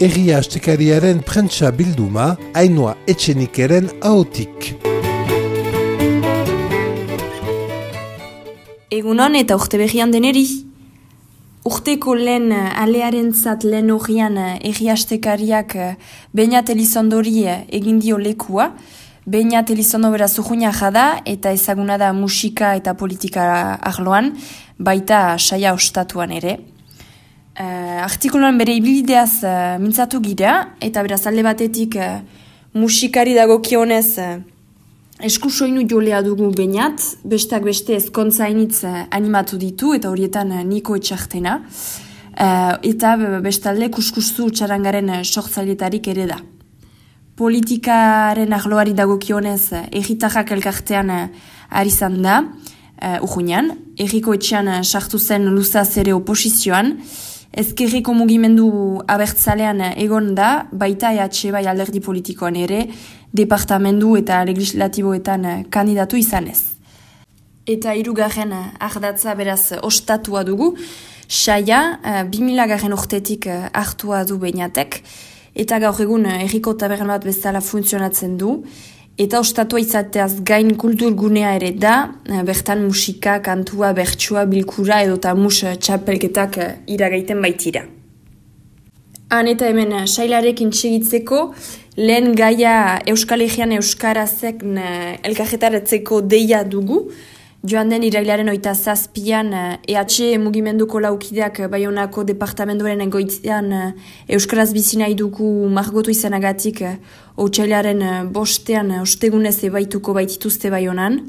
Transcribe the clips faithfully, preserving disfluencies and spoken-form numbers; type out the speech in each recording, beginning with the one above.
Egia astekariaren prentsa bilduma, Ainhoa Etxenikeren ahotik. Egunon eta urte behian deneri. Urteko lehen alearen zat lehen horian egia astekariak Beñat Elizondori egin dio lekua. Beñat Elizondo bera zuhuina jada eta ezaguna da musika eta politika arloan, baita saia ostatuan ere. Uh, artikuluan bere ibilideaz uh, mintzatu gira, eta beraz alde batetik uh, musikari dagokionez uh, eskusoinu jolea dugu Beñat, bestak beste ezkontza hainitz uh, animatu ditu, eta horietan uh, Niko Etxartena, uh, eta bestalde kuskustu txarangaren uh, sortzailetarik ere da. Politikaren arloari dagokionez uh, egitajak elkartean uh, ari zan da, uh, urruñan, Erriko Etxean uh, sartu zen luzaz ere oposizioan, Ezkerreko mugimendu abertzalean egon da, baita E H bai alderdi politikoan ere, departamendu eta legislatiboetan kandidatu izanez. Eta hirugarren ardatza beraz ostatua dugu, saia bi mila garren urtetik hartua du Beñatek, eta gaur egun herriko taberna bat bezala funtzionatzen du, eta ostatua izateaz gain kulturgunea ere da, bertan musika, kantua, bertsua, bilkura edo eta mus txapelketak iragaiten baitira. Han eta hemen sailarekin txegitzeko, lehen gaia Euskal Herrian Euskarazek elkarretaratzeko deia dugu, joan den irailaren oita zazpian E H mugimenduko laukideak Baionako departamenduaren egoitzean Euskaraz bizi nahi dugu margotu izanagatik otsailaren bostean ostegunez ebaituko baitituzte Baionan.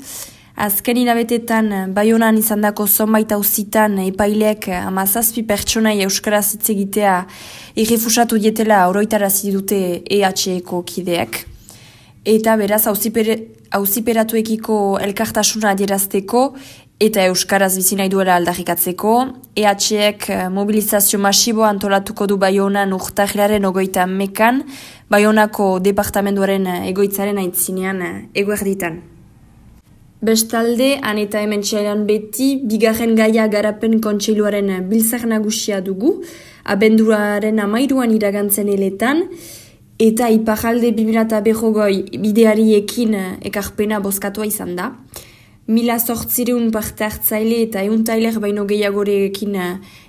Azken hilabetetan Baionan izandako zonbait auzitan epaileek hamazazpi pertsonai Euskaraz hitz egitea irrefusatu dietela oroitarazi dute E H-eko kideak. Eta beraz auziperatuekiko elkartasuna adierazteko eta Euskaraz bizi nahi duela aldarrikatzeko, E H-ek mobilizazio masiboa antolatuko du Baionan urtarrilaren ogoita mekan, Baionako departamenduaren egoitzaren aitzinean eguerditan. Bestalde, han eta hemen txailan beti, bigarren gaia garapen kontseiluaren biltzar nagusia dugu, abenduaren amairuan iragantzen eletan, eta iparalde bi mila berrogei bideariekin ekarpena bozkatua izan da. Mila zortzireun parte hartzaile eta eun tailer baino gehiagorekin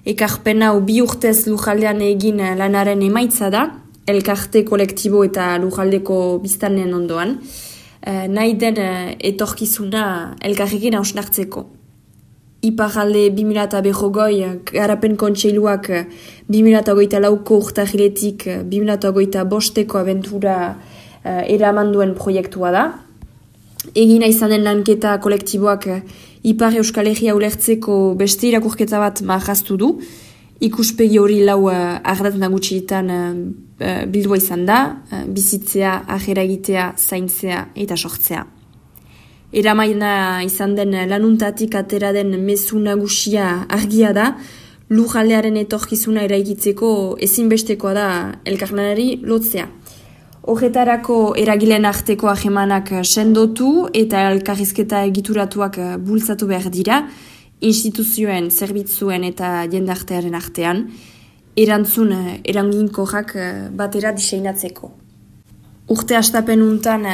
ekarpena bi urtez lujaldean egin lanaren emaitza da, elkarte kolektibo eta lujaldeko biztanen ondoan, eh, nahi den etorkizuna elkarrekin hausnartzeko. Iparalde bi mila berrogei garapen kontseiluak bi mila hogeita lauko urtarriletik bi mila hogeita bosteko abentura uh, eraman duen proiektua da. Egina izan den lanketa kolektiboak Ipar Euskal Herria ulertzeko beste irakurketa bat marraztu du. Ikuspegi hori lau uh, ardatz nagusietan uh, bildua izan da, uh, bizitzea, ajera egitea, zaintzea eta sortzea. Eramaina izan den lanuntatik atera den mezu nagusia argia da, lujaldearen etorkizuna eraikitzeko ezinbestekoa da elkarlanari lotzea. Horretarako eragileen arteko ahemanak sendotu eta elkarrizketa egituratuak bultzatu behar dira, instituzioen, zerbitzuen eta jendartearen artean, erantzun eranginkorrak batera diseinatzeko. Urte hastapen untan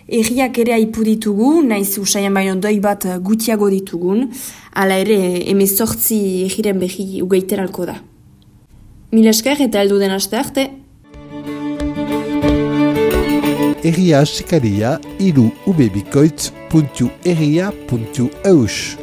erriak ere aipu ditugu, naiz usaian baino doi bat gutiago ditugun, hala ere emezortzi erriren behi ugeiteralko da. Mil esker eta heldu den aste arte. Egia asekaria iru ubebikoitz puntu egia puntu eus